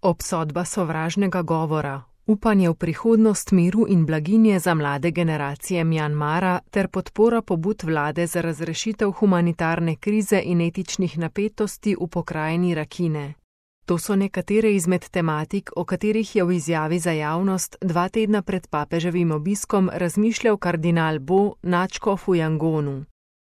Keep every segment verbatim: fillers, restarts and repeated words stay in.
Obsodba sovražnega govora, upanje v prihodnost miru in blaginje za mlade generacije Mjanmara ter podpora pobud vlade za razrešitev humanitarne krize in etičnih napetosti v pokrajini Rakhine. To so nekatere izmed tematik, o katerih je v izjavi za javnost dva tedna pred papeževim obiskom razmišljal kardinal Bo Nadškof v Jangonu.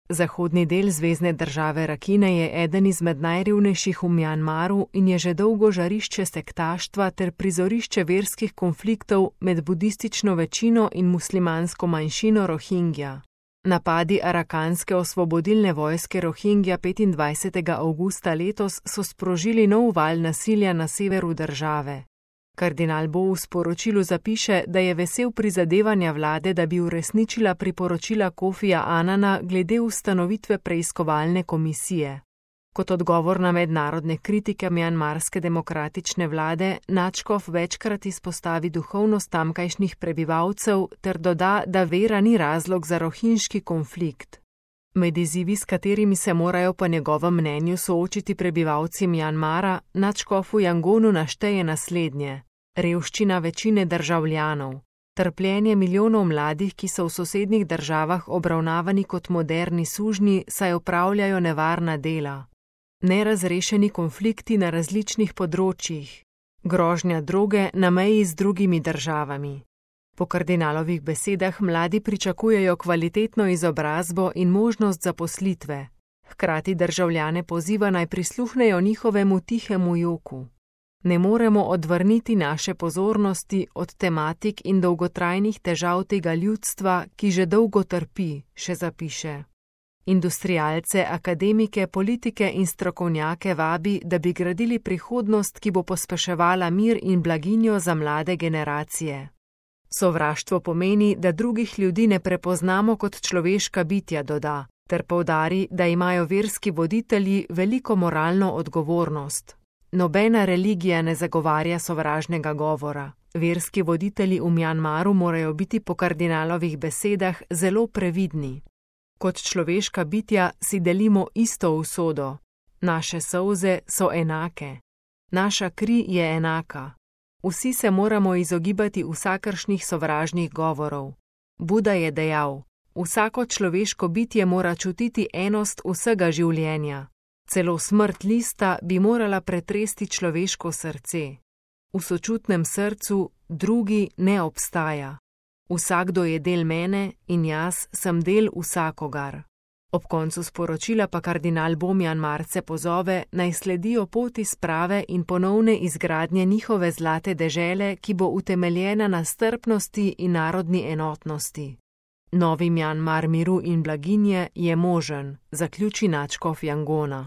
Zahodni del zvezne države Rakhine je eden izmed najrevnejših v Mjanmaru in je že dolgo žarišče sektaštva ter prizorišče verskih konfliktov med budistično večino in muslimansko manjšino Rohingja. Napadi arakanske osvobodilne vojske Rohingja petindvajsetega avgusta letos so sprožili nov val nasilja na severu države. Kardinal Bo v sporočilu zapiše, da je vesel prizadevanja vlade, da bi uresničila priporočila Kofija Anana glede ustanovitve preiskovalne komisije. Kot odgovor na mednarodne kritike mjanmarske demokratične vlade, Nadškof večkrat izpostavi duhovnost tamkajšnjih prebivalcev ter doda, da vera ni razlog za rohinjski konflikt. Med izzivi, s katerimi se morajo po njegovem mnenju soočiti prebivalci Mjanmara, Nadškof v Jangonu našteje naslednje: revščina večine državljanov, trpljenje milijonov mladih, ki so v sosednjih državah obravnavani kot moderni sužnji, saj opravljajo nevarna dela, nerazrešeni konflikti na različnih področjih, grožnja droge na meji z drugimi državami. Po kardinalovih besedah mladi pričakujejo kvalitetno izobrazbo in možnost zaposlitve, hkrati državljane poziva naj prisluhnejo njihovemu tihemu joku. Ne moremo odvrniti naše pozornosti od tematik in dolgotrajnih težav tega ljudstva, ki že dolgo trpi, še zapiše. Industrialce, akademike, politike in strokovnjake vabi, da bi gradili prihodnost, ki bo pospeševala mir in blaginjo za mlade generacije. Sovraštvo pomeni, da drugih ljudi ne prepoznamo kot človeška bitja, doda, ter poudari, da imajo verski voditelji veliko moralno odgovornost. Nobena religija ne zagovarja sovražnega govora. Verski voditelji v Mjanmaru morajo biti po kardinalovih besedah zelo previdni. Kot človeška bitja si delimo isto usodo. Naše solze so enake. Naša kri je enaka. Vsi se moramo izogibati vsakršnih sovražnih govorov. Buda je dejal: vsako človeško bitje mora čutiti enost vsega življenja. Celo smrt lista bi morala pretresti človeško srce. V sočutnem srcu drugi ne obstaja. Vsakdo je del mene in jaz sem del vsakogar. Ob koncu sporočila pa kardinal Bo Mjanmarce pozove, naj sledijo poti sprave in ponovne izgradnje njihove zlate dežele, ki bo utemeljena na strpnosti in narodni enotnosti. Novi Mjanmar miru in blaginje je možen, zaključi Nadškof Jangona.